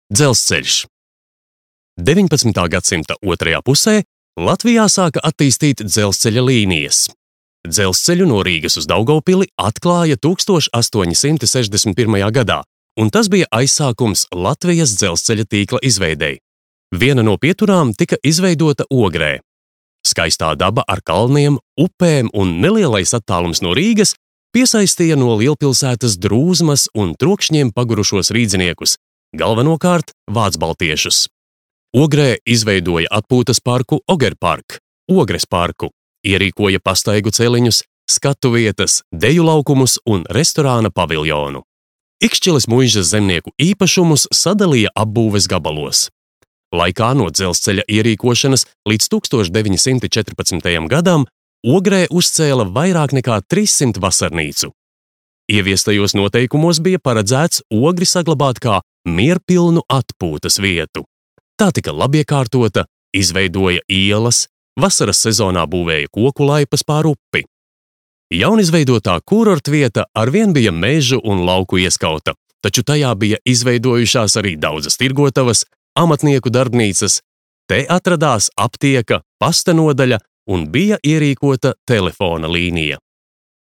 Dzelzceļš. 19. gadsimta otrajā pusē Latvijā sāka attīstīt dzelzceļa līnijas. Dzelzceļu no Rīgas uz Daugavpili atklāja 1861. gadā, un tas bija aizsākums Latvijas dzelzceļa tīkla izveidei. Viena no pieturām tika izveidota Ogrē. Skaistā daba ar kalniem, upēm un nelielais attālums no Rīgas piesaistīja no lielpilsētas drūzmas un trokšņiem pagurušos rīdziniekus, galvenokārt vācbaltiešus. Ogrē izveidoja atpūtas parku Ogerpark, Ogres parku, ierīkoja pastaigu celiņus, skatu vietas, deju laukumus un restorāna paviljonu. Ikšķiles muižas zemnieku īpašumus sadalīja apbūves gabalos. Laikā no dzelzceļa ierīkošanas līdz 1914. gadam Ogrē uzcēla vairāk nekā 300 vasarnīcu. Ieviestajos noteikumos bija paredzēts Ogri saglabāt kā mierpilnu atpūtas vietu. Tā tika labiekārtota, izveidoja ielas, vasaras sezonā būvēja koku laipas pār upi. Jaunizveidotā kurortvieta arvien bija mežu un lauku ieskauta, taču tajā bija izveidojušās arī daudzas tirgotavas, amatnieku darbnīcas, te atradās aptieka, pasta nodaļa un bija ierīkota telefona līnija.